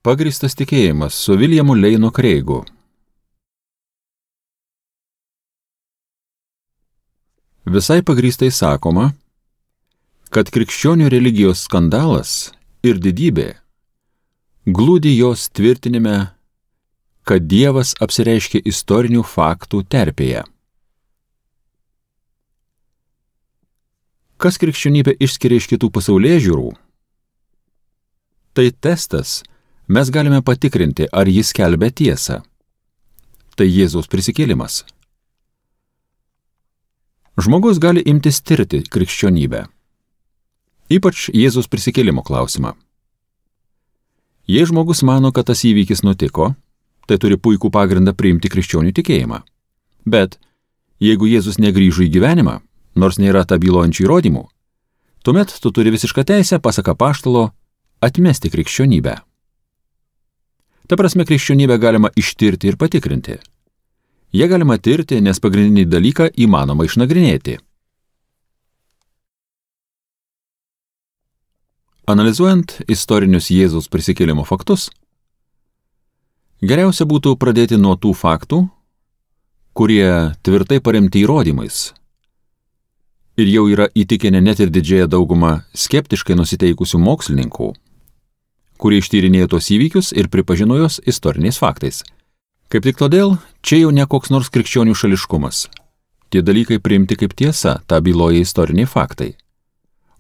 Pagrįstas tikėjimas su Viljamu Leinu Kreigu. Visai pagrįstai sakoma, kad krikščionių religijos skandalas ir didybė glūdi jos tvirtinime, kad Dievas apsireiškia istorinių faktų terpėje. Kas krikščionybę išskiria iš kitų pasaulėžiūrų? Tai testas, mes galime patikrinti, ar jis skelbia tiesą. Tai Jėzaus prisikėlimas. Žmogus gali imtis tirti krikščionybę. Ypač Jėzaus prisikėlimo klausimą. Jei žmogus mano, kad tas įvykis nutiko, tai turi puikų pagrindą priimti krikščionių tikėjimą. Bet jeigu Jėzus negrįžo į gyvenimą, nors nėra bylojančių įrodymų, tuomet tu turi visišką teisę, pasak apaštalo, atmesti krikščionybę. Ta prasme, krikščionybę galima ištirti ir patikrinti. Jie galima tirti, nes pagrindinį dalyką įmanoma išnagrinėti. Analizuojant istorinius Jėzaus prisikėlimo faktus, geriausia būtų pradėti nuo tų faktų, kurie tvirtai paremti įrodymais ir jau yra įtikinę net ir didžiąją daugumą skeptiškai nusiteikusių mokslininkų, kurie ištyrinėjo tos įvykius ir pripažino jos istoriniais faktais. Kaip tik todėl, čia jau ne koks nors krikščionių šališkumas. Tie dalykai priimti kaip tiesa, tą byloja istoriniai faktai.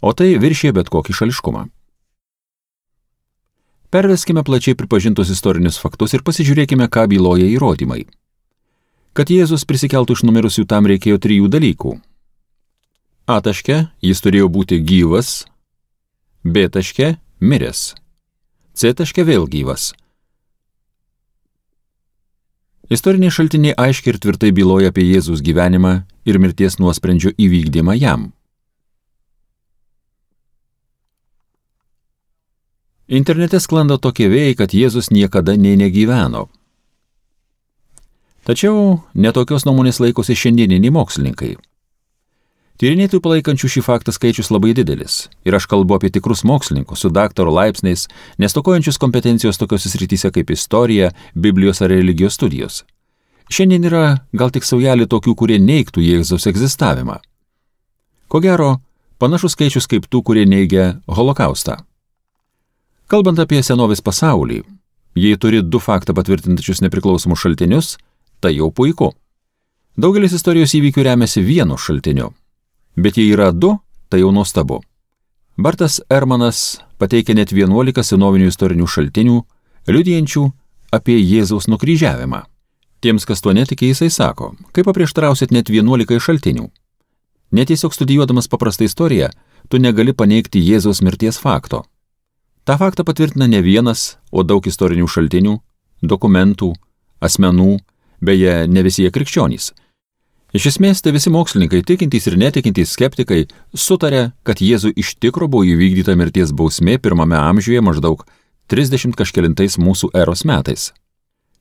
O tai viršė bet kokį šališkumą. Perveskime plačiai pripažintus istorinius faktus ir pasižiūrėkime, ką byloja įrodymai. Kad Jėzus prisikeltų iš numirusių, tam reikėjo 3 dalykų. A taške jis turėjo būti gyvas, B taške miręs, C taške vėl gyvas. Istoriniai šaltiniai aiškiai ir tvirtai byloja apie Jėzaus gyvenimą ir mirties nuosprendžio įvykdymą jam. Internete sklando tokie vėjai, kad Jėzus niekada negyveno. Tačiau netokios nuomonės laikosi šiandieniniai mokslininkai. Tyrinėtojų palaikančių šį faktą skaičius labai didelis. Ir aš kalbu apie tikrus mokslininkus su daktaro laipsniais, nestokojančius kompetencijos tokiose srityse kaip istorija, Biblijos ar religijos studijos. Šiandien yra gal tik saujelė tokių, kurie neigtų Jėzaus egzistavimą. Ko gero, panašus skaičius kaip tų, kurie neigia holokaustą. Kalbant apie senovės pasaulį, jei turi 2 faktą patvirtinančius nepriklausomus šaltinius, tai jau puiku. Daugelis istorijos įvykių remiasi vienu šaltiniu. Bet jei yra 2, tai jau nuostabu. Bartas Ehrmanas pateikia net 11 senovinių istorinių šaltinių, liudijančių apie Jėzaus nukryžiavimą. Tiems, kas tuo netiki, jisai sako, kaip paprieštarausit net 11 šaltinių. Netiesiog studijuodamas paprastą istoriją, tu negali paneigti Jėzaus mirties fakto. Ta faktą patvirtina ne vienas, o daug istorinių šaltinių, dokumentų, asmenų, beje, ne visi jie krikščionys. Iš esmės, tai visi mokslininkai, tikintys ir netikintys skeptikai, sutarė, kad Jėzui iš tikro buvo įvykdyta mirties bausmė 1 amžiuje maždaug 30 kažkelintais mūsų eros metais.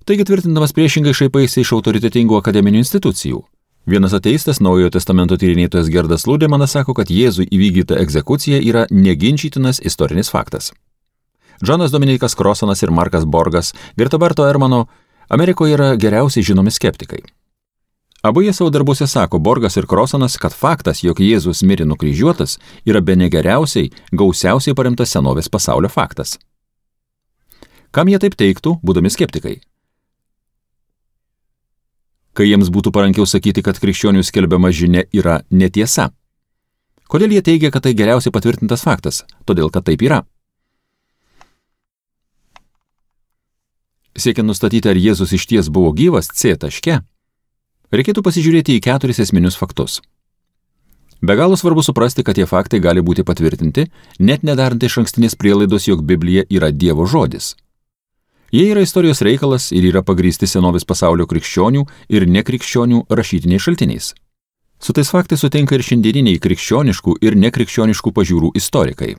Taigi tvirtindamas priešingai šaipaisi iš autoritetingų akademinių institucijų. Vienas ateistas, Naujojo testamento tyrinėtojas Gerdas Ludemanas sako, kad Jėzui įvykdyta egzekucija yra neginčytinas istorinis faktas. Džonas Dominikas Crossanas ir Markas Borgas, greta Barto Ehrmano, Amerikoje yra geriausiai žinomi skeptikai. Abu jie savo darbuose sako, Borgas ir Crossanas, kad faktas, jog Jėzus mirė nukryžiuotas, yra bene geriausiai, gausiausiai paremtas senovės pasaulio faktas. Kam jie taip teiktų, būdami skeptikai? Kai jiems būtų parankiau sakyti, kad krikščionių skelbiama žinia yra netiesa. Kodėl jie teigia, kad tai geriausiai patvirtintas faktas? Todėl, kad taip yra. Siekiant nustatyti, ar Jėzus išties buvo gyvas, C taške, reikėtų pasižiūrėti į 4 esminius faktus. Be galo svarbu suprasti, kad tie faktai gali būti patvirtinti, net nedarant išankstinės prielaidos, jog Biblija yra Dievo žodis. Jie yra istorijos reikalas ir yra pagrįsti senovės pasaulio krikščionių ir nekrikščionių rašytiniais šaltiniais. Su tais faktais sutinka ir šiandieniniai krikščioniškų ir nekrikščioniškų pažiūrų istorikai.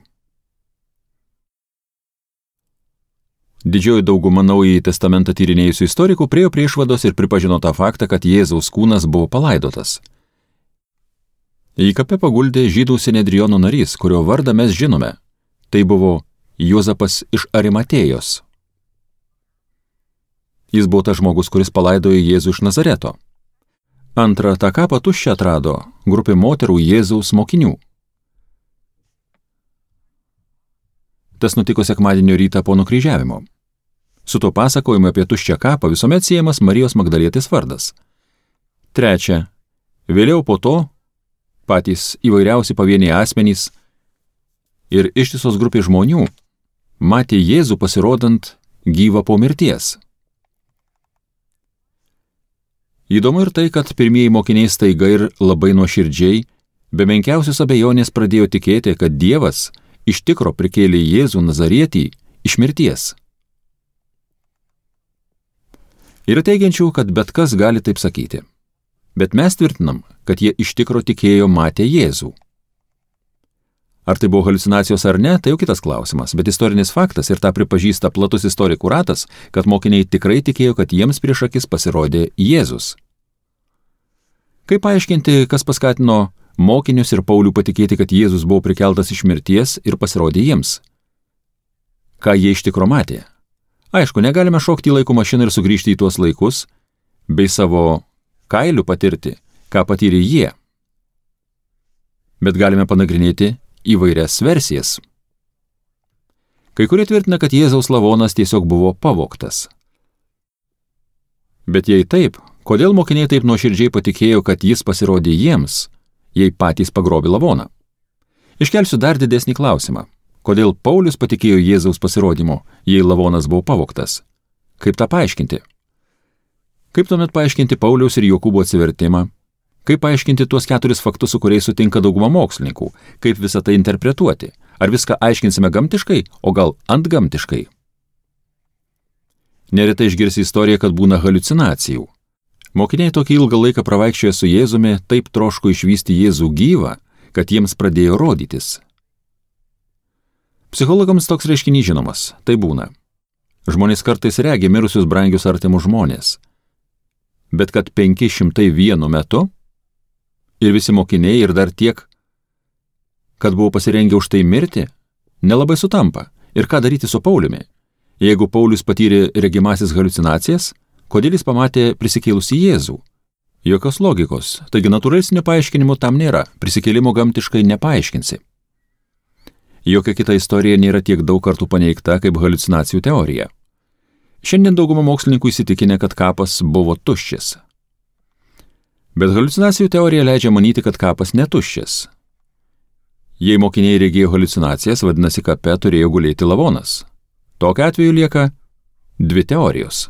Didžioji dauguma Naująjį testamentą tyrinėjusių istorikų priėjo prie išvados ir pripažino tą faktą, kad Jėzaus kūnas buvo palaidotas. Į kapę paguldė žydų Sinedriono narys, kurio vardą mes žinome. Tai buvo Juozapas iš Arimatėjos. Jis buvo tas žmogus, kuris palaidojo Jėzų iš Nazareto. Antra, tą kapą tuščią atrado grupė moterų Jėzaus mokinių. Tas nutiko sekmadienio rytą po nukryžiavimo. Su tuo pasakojimu apie tuščią kapą visuomet siejamas Marijos Magdalietės vardas. Trečia, vėliau po to patys įvairiausi pavieniai asmenys ir ištisos grupės žmonių matė Jėzų pasirodant gyvą po mirties. Įdomu ir tai, kad pirmieji mokiniai staiga ir labai nuoširdžiai, be menkiausios abejonės pradėjo tikėti, kad Dievas iš tikro prikėlė Jėzų Nazarietį iš mirties. Yra teigiančių, kad bet kas gali taip sakyti. Bet mes tvirtinam, kad jie iš tikro tikėjo matę Jėzų. Ar tai buvo haliucinacijos ar ne, tai jau kitas klausimas, bet istorinis faktas ir tą pripažįsta platus istorikų ratas, kad mokiniai tikrai tikėjo, kad jiems prieš akis pasirodė Jėzus. Kaip paaiškinti, kas paskatino mokinius ir Paulių patikėti, kad Jėzus buvo prikeltas iš mirties ir pasirodė jiems? Ką jie iš tikro matė? Aišku, negalime šokti į laiko mašiną ir sugrįžti į tuos laikus, bei savo kailių patirti, ką patyrė jie. Bet galime panagrinėti įvairias versijas. Kai kurie tvirtina, kad Jėzaus lavonas tiesiog buvo pavogtas. Bet jei taip, kodėl mokiniai taip nuoširdžiai patikėjo, kad jis pasirodė jiems, jei patys pagrobė lavoną? Iškelsiu dar didesnį klausimą. Kodėl Paulius patikėjo Jėzaus pasirodymu, jei lavonas buvo pavogtas? Kaip tą paaiškinti? Kaip tuomet paaiškinti Pauliaus ir Jokūbo atsivertimą? Kaip paaiškinti tuos 4 faktus, su kuriais sutinka dauguma mokslininkų? Kaip visą tai interpretuoti? Ar viską aiškinsime gamtiškai, o gal antgamtiškai? Neretai išgirsi istoriją, kad būna haliucinacijų. Mokiniai tokį ilgą laiką pravaikščioję su Jėzumi taip troško išvysti Jėzų gyvą, kad jiems pradėjo rodytis. Psichologams toks reiškinys žinomas, tai būna. Žmonės kartais regi mirusius brangius artimus žmonės. Bet kad 500 vienu metu ir visi mokiniai ir dar tiek, kad buvo pasirengę už tai mirti, nelabai sutampa. Ir ką daryti su Pauliumi? Jeigu Paulius patyrė regimasis haliucinacijas, kodėl jis pamatė prisikėlusį Jėzų? Jokios logikos, taigi natūralesnio paaiškinimo tam nėra, prisikėlimo gamtiškai nepaaiškinsi. Jokia kita istorija nėra tiek daug kartų paneigta kaip haliucinacijų teorija. Šiandien dauguma mokslininkų įsitikinę, kad kapas buvo tuščias. Bet haliucinacijų teorija leidžia manyti, kad kapas netuščias. Jei mokiniai regėjo haliucinacijas, vadinasi, kape turėjo gulėti lavonas. Tokiu atveju lieka 2 teorijos.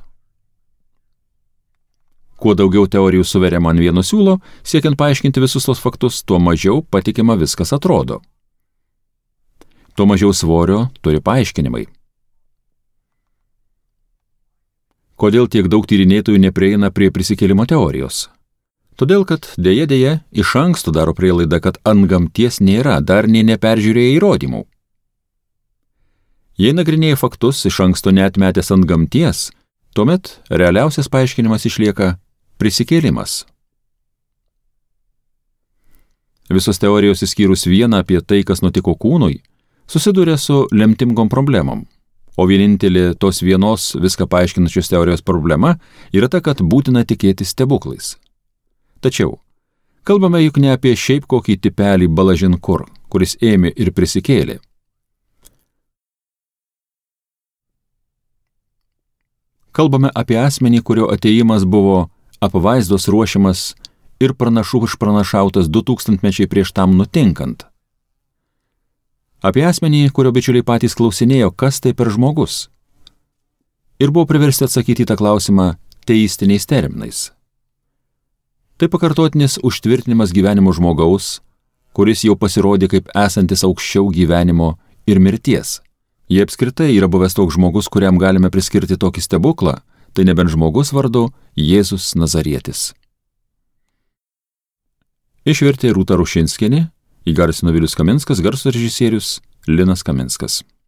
Kuo daugiau teorijų suveriama ant vieno siūlo, siekiant paaiškinti visus tos faktus, tuo mažiau patikima viskas atrodo. Tuo mažiau svorio turi paaiškinimai. Kodėl tiek daug tyrinėtojų neprieina prie prisikėlimo teorijos? Todėl, kad dėja iš anksto daro prielaidą, kad antgamties nėra, dar nė neperžiūrėję įrodymų. Jei nagrinėja faktus iš anksto neatmetęs antgamties, tuomet realiausias paaiškinimas išlieka prisikėlimas. Visos teorijos išskyrus vieną apie tai, kas nutiko kūnui, susiduria su lemtingom problemom, o vienintelė tos vienos viską paaiškinančios teorijos problema yra ta, kad būtina tikėti stebuklais. Tačiau, kalbame juk ne apie šiaip kokį tipelį Balažinkur, kuris ėmė ir prisikėlė. Kalbame apie asmenį, kurio atėjimas buvo apvaizdos ruošiamas ir pranašų išpranašautas 2000 mečiai prieš tam nutinkant. Apie asmenį, kurio bičiuliai patys klausinėjo, kas tai per žmogus. Ir buvo priversti atsakyti į tą klausimą teistiniais terminais. Tai pakartotinis užtvirtinimas gyvenimo žmogaus, kuris jau pasirodė kaip esantis aukščiau gyvenimo ir mirties. Jei apskritai yra buvęs toks žmogus, kuriam galime priskirti tokį stebuklą, tai nebent žmogus vardu Jėzus Nazarietis. Išvertė Rūta Rušinskienė, įgarsino Vilius Kaminskas, garso režisierius Linas Kaminskas.